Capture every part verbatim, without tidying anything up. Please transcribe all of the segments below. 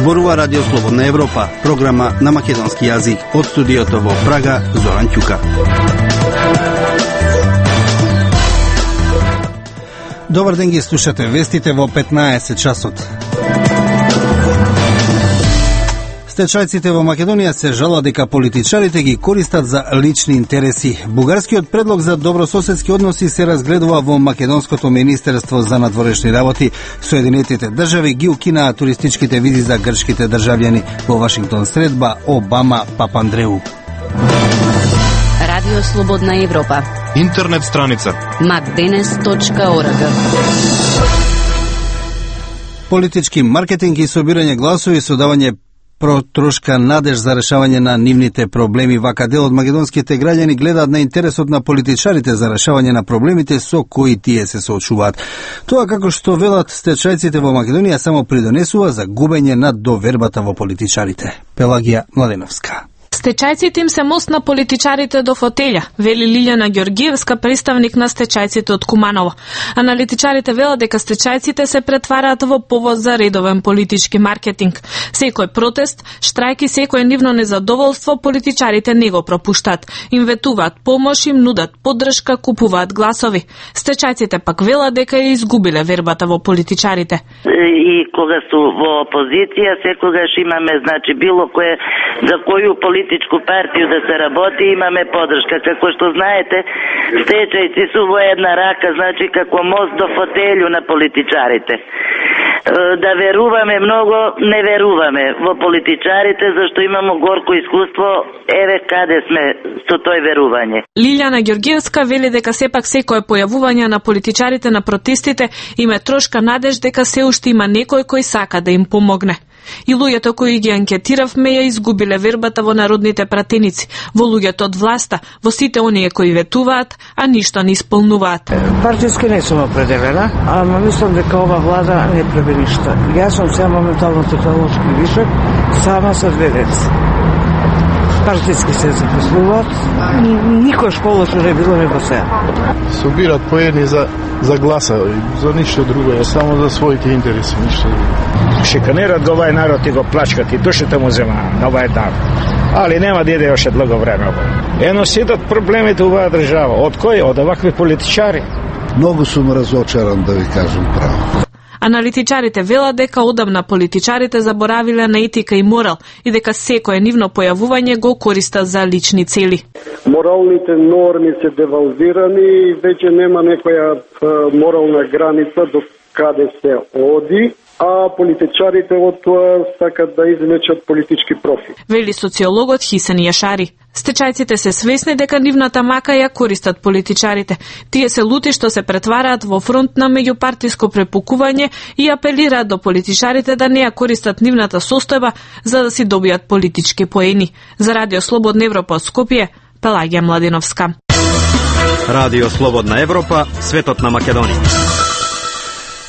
Зборува Радио Слободна Европа, програма на македонски јазик. Од студиото во Прага, Зоран Ќука. Добар ден, ги слушате вестите во петнаесет часот. Стечајците во Македонија се жалат дека политичарите ги користат за лични интереси. Бугарскиот предлог за добрососедски односи се разгледува во Македонското министерство за надворешни работи. Соединетите држави ги укинаа туристичките визи за грчките државјани. Во Вашингтон средба Обама Папандреу. Радио Слободна Европа. Интернет страница макденес точка орг. Политички маркетинг и собирање гласови со давање протрошка надеж за решавање на нивните проблеми. Вака дел од македонските граѓани гледаат на интересот на политичарите за решавање на проблемите со кои тие се соочуваат. Тоа, како што велат стечајците во Македонија, само придонесува за губење на довербата во политичарите. Пелагија Младеновска. Стечајците им се мост на политичарите до фотелја, вели Лилјана Ѓоргиевска, представник на стечајците од Куманово. Аналитичарите велат дека стечајците се претвараат во повод за редовен политички маркетинг. Секој протест, штрајк и секој нивно незадоволство политичарите не го пропуштат. Им ветуваат помош, им нудат поддршка, купуваат гласови. Стечајците пак велат дека ја изгубиле вербата во политичарите. И кога су во опозиција, секогаш имаме, значи, било кое за коју политичку партiju да се работи, имаме подршка. Како што знаете, стечајци су во една рака, значи како мост до фотелју на политичарите. Да веруваме многу, не веруваме во политичарите, зашто имамо горко искуство, еве каде сме со тој верување. Лилјана Ѓоргиевска вели дека сепак секое појавување на политичарите на протестите им е трошка надеж дека се уште има некој кој сака да им помогне. И луѓето кои ги анкетиравме ја изгубиле вербата во народните пратеници, во луѓето од власта, во сите оние кои ветуваат, а ништо не исполнуваат. Партиски не сум определена, ама мислам дека ова влада не прави ништо. Јас сум сега моментално технолошки вишок, сама со две деца. Партиски се запослуваат, никој школа што не било не го сега. Собират поедни за, за гласа, за ништо друго, е само за своите интереси, ништо друго. Шиканерат го овај народ и го плачкат и душите му зема на овај дан. Али нема да иде още долго време ово. Ено сидат проблемите оваа држава. Од кој? Од овакви политичари. Многу сум разочаран, да ви кажам право. Аналитичарите велат дека одамна политичарите заборавиле на етика и морал и дека секое нивно појавување го користат за лични цели. Моралните норми се девалвирани и веќе нема некоја морална граница до каде се оди, а политичарите од тоа сакат да извлечат политички профит. Вели социологот Хисен Јашари. Стечајците се свесни дека нивната мака ја користат политичарите. Тие се лути што се претвараат во фронт на меѓупартиско препукување и апелираат до политичарите да не ја користат нивната состојба за да си добијат политички поени. За Радио Слободна Европа од Скопје, Пелагија Младеновска. Радио Слободна Европа, светот на Македонија.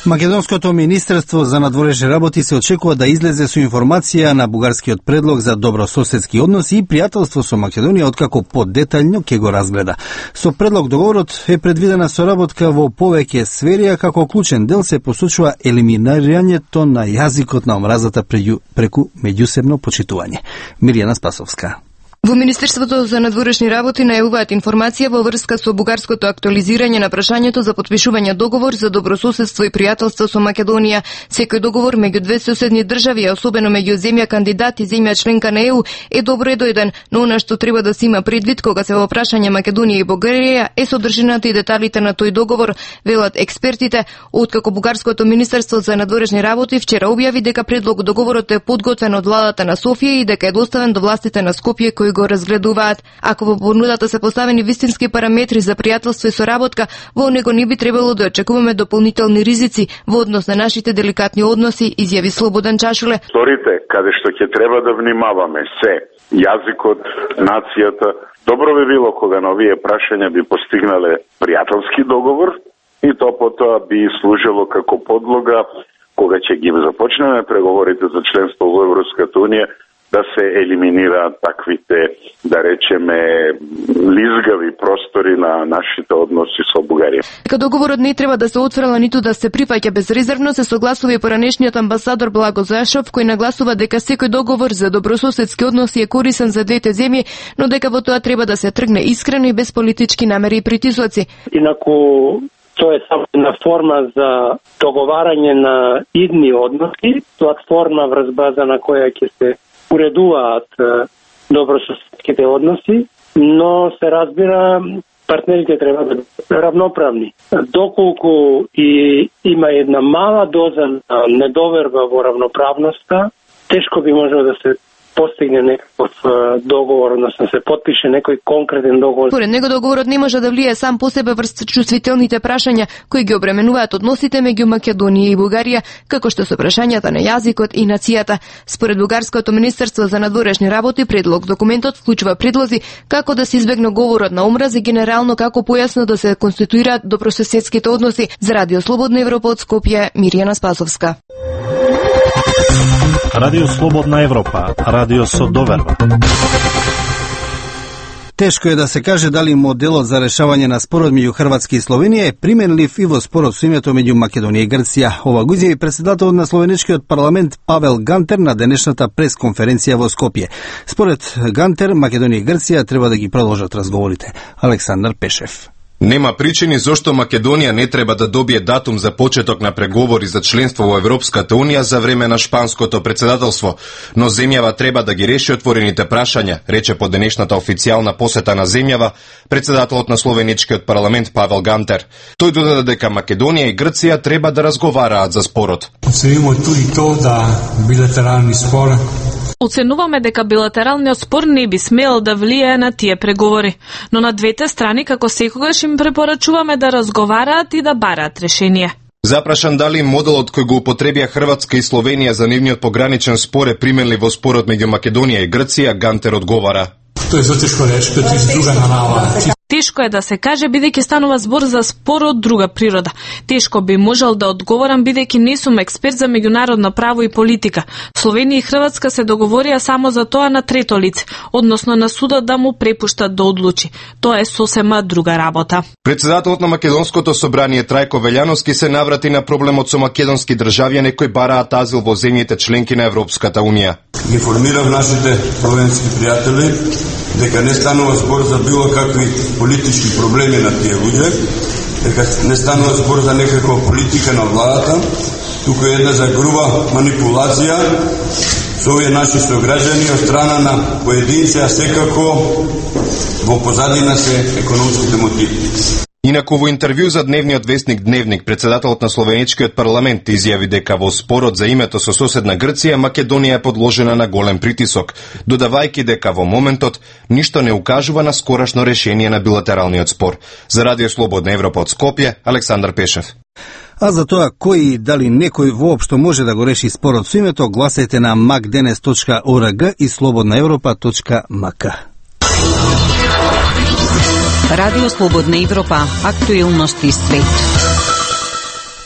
Македонското министерство за надворешни работи се очекува да излезе со информација на бугарскиот предлог за добрососедски односи и пријателство со Македонија, откако подетаљно ќе го разгледа. Со предлог договорот е предвидена соработка во повеќе сфери, а како клучен дел се посочува елиминирањето на јазикот на омразата преку меѓусебно почитување. Мирјана Спасовска. Во Министерството за надворешни работи најавуваат информација во врска со бугарското актуализирање на прашањето за потпишување договор за добрососедство и пријателство со Македонија. Секој договор меѓу две соседни држави, а особено меѓу земја кандидат и земја членка на Е У, е добро едојден, но она што треба да се има предвид кога се во прашање Македонија и Бугарија е содржината и деталите на тој договор, велат експертите, откако бугарското Министерство за надворешни работи вчера објави дека предлог договорот е подготвен од владата на Софија и дека е доставен до властите на Скопје кои го разгледуваат. Ако во понудата се поставени вистински параметри за пријателство и соработка, во него не би требало да очекуваме дополнителни ризици во однос на нашите деликатни односи, изјави Слободан Чашуле. Сторите каде што ќе треба да внимаваме се јазикот, нацијата. Добро би било кога на овие прашања би постигнале пријателски договор и то потоа би служило како подлога кога ќе ги започнеме преговорите за членство во Европската унија да се елиминираат таквите, да речеме, лизгави простори на нашите односи со Бугарија. Дека договорот не треба да се отфрла ниту да се прифаќа безрезервно, се согласува и поранешниот амбасадор Благо Зашов, кој нагласува дека секој договор за добрососедски односи е корисен за двете земји, но дека во тоа треба да се тргне искрено и без политички намери и притисоци. Инаку тоа е само една форма за договарање на идни односи, платформа врз база на која ќе се уредуваат добрососедските односи, но се разбира партнерите треба да бидат равноправни. Доколку и има една мала доза на недоверба во равноправноста, тешко би можело да се постигне некаков договор, односно се потпише некој конкретен договор. Според него договорот не може да влие сам по себе врз чувствителните прашања кои ги обременуваат односите меѓу Македонија и Бугарија, како што се прашањата на јазикот и нацијата. Според Бугарското министерство за надворешни работи, предлог документот вклучува предлози како да се избегне говорот на омраз и генерално како појасно да се конституираат добрососедските односи. За Радио Слободна Европа од Скопје, Мирјана Спасовска. Радио Слободна Европа, радио со доверба. Тешко е да се каже дали моделот за решавање на спорот меѓу Хрватска и Словенија е применлив и во спорот со името меѓу Македонија и Грција. Ова го изјави председателот на словеничкиот парламент Павел Гантер на денешната пресконференција во Скопје. Според Гантер, Македонија и Грција треба да ги продолжат разговорите. Александар Пешев. Нема причини зошто Македонија не треба да добие датум за почеток на преговори за членство во Европската Унија за време на шпанското председателство, но земјава треба да ги реши отворените прашања, рече по денешната официјална посета на земјава председателот на словеничкиот парламент Павел Гантер. Тој додаде дека Македонија и Грција треба да разговараат за спорот. Оценуваме туди то да билатерални спор Оценуваме дека билатералниот спор не би смел да влијае на тие преговори, но на двете страни како секогаш им препорачуваме да разговараат и да бараат решение. Запрашан дали моделот кој го употребија Хрватска и Словенија за нивниот пограничен спор е применлив во спорот меѓу Македонија и Грција, Гантер одговара. Тоа е затешко речи, тоа е друга нарава. Тешко е да се каже бидејќи станува збор за спор од друга природа. Тешко би можел да одговорам бидејќи не сум експерт за меѓународно право и политика. Словенија и Хрватска се договорија само за тоа на трето лице, односно на судот да му препуштат да одлучи. Тоа е сосема друга работа. Председателот на Македонското собрание Трајко Велјановски се наврати на проблемот со македонски државјани кои бараат азил во земјите членки на Европската Унија. Информирав нашите словенски пријатели дека не станува збор за било какви политички проблеми на тие луѓе, дека не станува збор за некаква политика на владата, туку е една за груба манипулација со овие наши сограѓани од страна на поединци, а секако во позадина се економските мотиви. Инаку во интервју за дневниот вестник Дневник, председателот на словеничкиот парламент изјави дека во спорот за името со соседна Грција Македонија е подложена на голем притисок, додавајќи дека во моментот ништо не укажува на скорашно решение на билатералниот спор. За Радио Слободна Европа од Скопје, Александар Пешев. А за тоа кој и дали некој воопшто може да го реши спорот со името, гласете на макденес точка орг и слободна европа точка мк. Радио Слободна Европа, актуелности свет.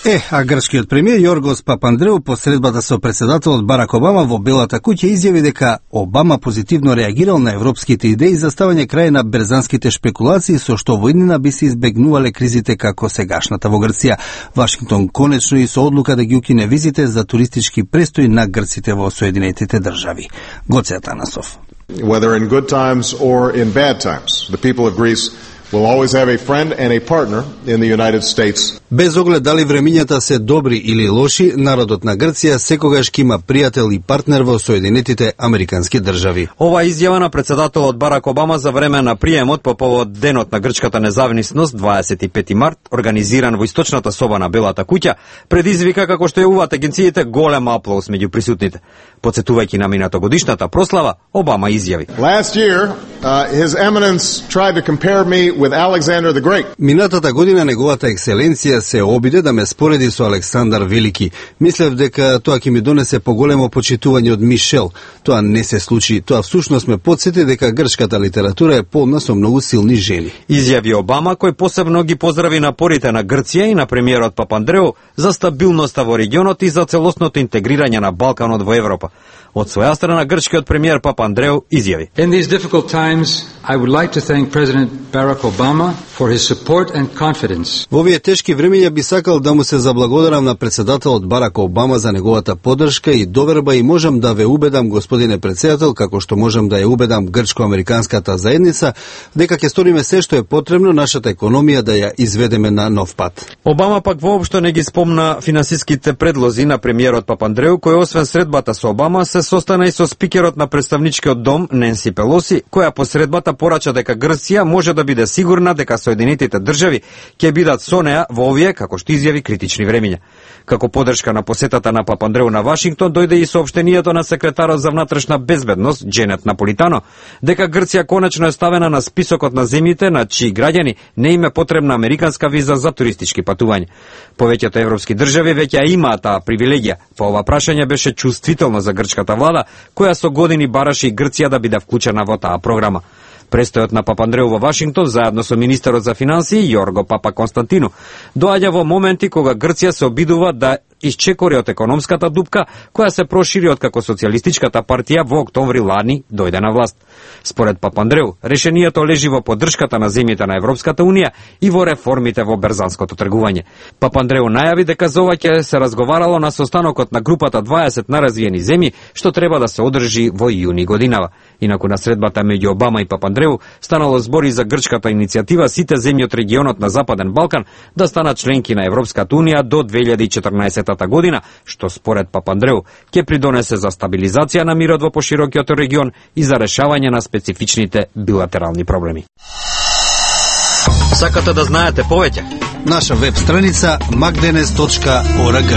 Е, а грчкиот премиер Јоргос Папандреу по средбата со председателот Барак Обама во Белата куќа изјави дека Обама позитивно реагирал на европските идеи за ставање крај на берзанските шпекулации со што во иднина би се избегнувале кризите како сегашната во Грција. Вашингтон конечно и со одлука да ги укине визите за туристички престои на грците во Соединетите држави. Гоце Атанасов. Whether in good times or in bad times, the people of Greece will always have a friend and a partner in the United States. Без оглед дали времињата се добри или лоши, народот на Грција секогаш ќе има пријател и партнер во Соединетите Американски држави. Ова изјава на председателот Барак Обама за време на приемот по повод денот на грчката независност дваесет и пети март, организиран во источната соба на Белата куќа, предизвика, како што јавуваат агенциите, голем аплауз меѓу присутните. Подсетувајќи на минатогодишната прослава, Обама изјави: Last year, uh, his eminence tried to compare me with Alexander the Great. Минатата година неговата екселенција се обиде да ме спореди со Александар Велики. Мислев дека тоа ќе ми донесе поголемо почитување од Мишел. Тоа не се случи. Тоа всушност ме потсети дека грчката литература е полна со многу силни жени. Изјави Обама, кој посебно ги поздрави напорите на Грција и на премиерот Папандреу за стабилноста во регионот и за целосното интегрирање на Балканот во Европа. Од своја страна грчкиот премиер Папандреу изјави: In these difficult times, I would like to thank President Barack Obama for his support and confidence. Во овие тешки времиња би сакал да му се заблагодарам на председателот Барак Обама за неговата поддршка и доверба и можам да ве убедам, господине председател, како што можам да ја убедам грчко-американската заедница, дека ќе сториме се што е потребно нашата економија да ја изведеме на нов пат. Обама пак воопшто не ги спомна финансиските предлози на премиерот Папандреу, кој освен средбата со Обама се состана и со спикерот на представничкиот дом Ненси Пелоси, која по средбата порача дека Грција може да биде сигурна дека Соединетите држави ќе бидат со неа во овие, како што изјави, критични времиња. Како поддршка на посетата на Папандреу на Вашингтон дојде и соопштенијето на секретарот за внатрешна безбедност Дженет Наполитано дека Грција конечно е ставена на списокот на земјите на чии граѓани не им е потребна американска виза за туристички патувања. Повеќето европски држави веќе ја имаат таа привилегија. По ова прашање беше чувствително за грчката влада, која со години бараше и Грција да биде вклучена во таа програма. Престојот на Папандреу во Вашингтон заедно со министерот за финансии Јорго Папа Константину доаѓа во моменти кога Грција се обидува да исчекори од економската дупка која се прошири од како социјалистичката партија во октомври лани дојде на власт. Според Папандреу, решението лежи во поддршката на земјите на Европската унија и во реформите во берзанското тргување. Папандреу најави дека за ова ќе се разговарало на состанокот на групата дваесет наразвиени земји, што треба да се одржи во јуни годинава. Инаку на средбата меѓу Обама и Папандреу станало збори за грчката иницијатива сите земји од регионот на Западен Балкан да станат членки на Европската унија до две илјади и четрнаесетта година, што според Папандреу ќе придонесе за стабилизација на мирот во поширокиот регион и за решавање на специфичните билатерални проблеми. Сакате да знаете повеќе? Наша веб страница макденес точка орг.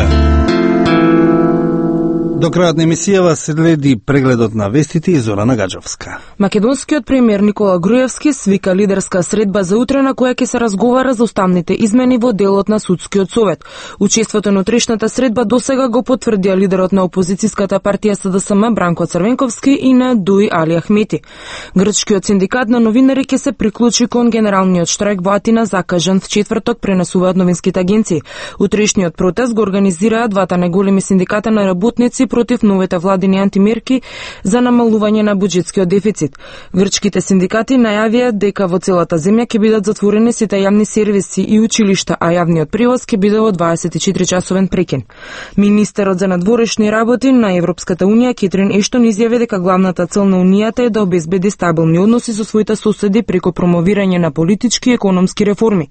До крајот на емисијава следи прегледот на вестите и Зорана Гаджовска. Македонскиот премиер Никола Груевски свика лидерска средба за утре на која ќе се разговара за уставните измени во делот на судскиот совет. Учеството на утрешната средба досега го потврдија лидерот на опозицијската партија СДСМ Бранко Црвенковски и на Дуј Али Ахмети. Грчкиот синдикат на новинари ќе се приклучи кон генералниот штрајк во Атина закажан в четврток, пренесуваат новинските агенции. Утрешниот протест го организираа двата најголеми синдиката на работници против новите владини антимерки за намалување на буџетскиот дефицит. Грчките синдикати најавија дека во целата земја ќе бидат затворени сите јавни сервиси и училишта, а јавниот превоз ќе биде во дваесет и четири часовен прекин. Министерот за надворешни работи на Европската унија Кетрин Ештон изјави дека главната цел на унијата е да обезбеди стабилни односи со своите соседи преку промовирање на политички и економски реформи.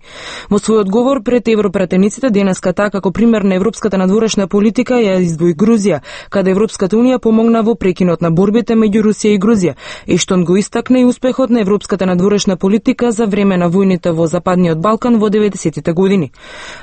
Во свој одговор пред европратениците денеска таа како пример на европската надворешна политика ја издвои Грузија, каде Европската унија помогна во прекинот на борбите меѓу Русија и Грузија. Ештон го истакна и успехот на европската надворешна политика за време на војните во Западниот Балкан во деветдесетите години.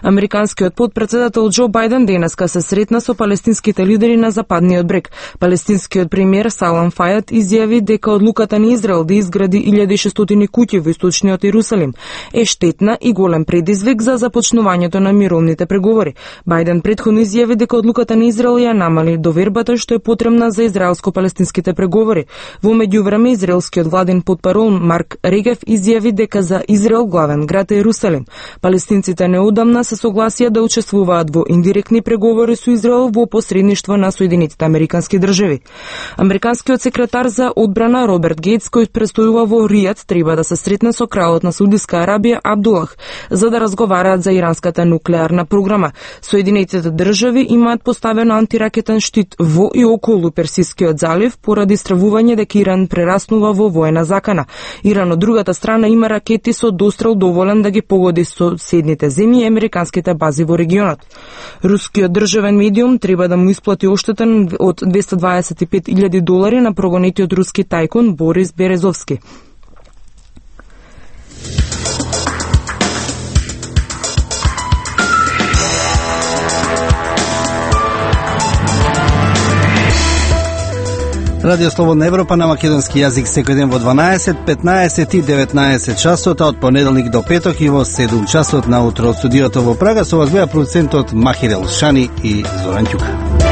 Американскиот потпредседател Џо Бајден денеска се сретна со палестинските лидери на Западниот брег. Палестинскиот премиер Салам Фајат изјави дека одлуката на Израел да изгради илјади и шестстотини куќи во источниот Ерусалим е штетна и голем предизвик за започнувањето на мировните преговори. Бајден претходно изјави дека одлуката на Израел ја намали довербата што е потребна за израелско-палестинските преговори. Во меѓувреме израелскиот владен потпарол Марк Регев изјави дека за Израел главен град е Ерусалим. Палестинците неодамна се согласија да учествуваат во индиректни преговори со Израел во посредништво на Соединетите американски држави. Американскиот секретар за одбрана Роберт Гейтс, кој престојува во Ријад, треба да се сретне со кралот на Саудиска Арабија Абдулах за да разговараат за иранската нуклеарна програма. Соединетите држави имаат поставен антиракетен штит во и околу Персискиот залив поради стравување дека Иран прераснува во воена закана. Иран од другата страна има ракети со дострел доволен да ги погоди соседните земји и американските бази во регионот. Рускиот државен медиум треба да му исплати оштетен од двесте дваесет и пет илјади долари на прогонетиот руски тајкун Борис Березовски. Радио Слободна Европа на македонски јазик секој ден во дванаесет, петнаесет и деветнаесет часот, а од понеделник до петок и во седум часот на утро од студиото во Прага. Со вас беа продуцентот Махир Елшани и Зоран Ќука.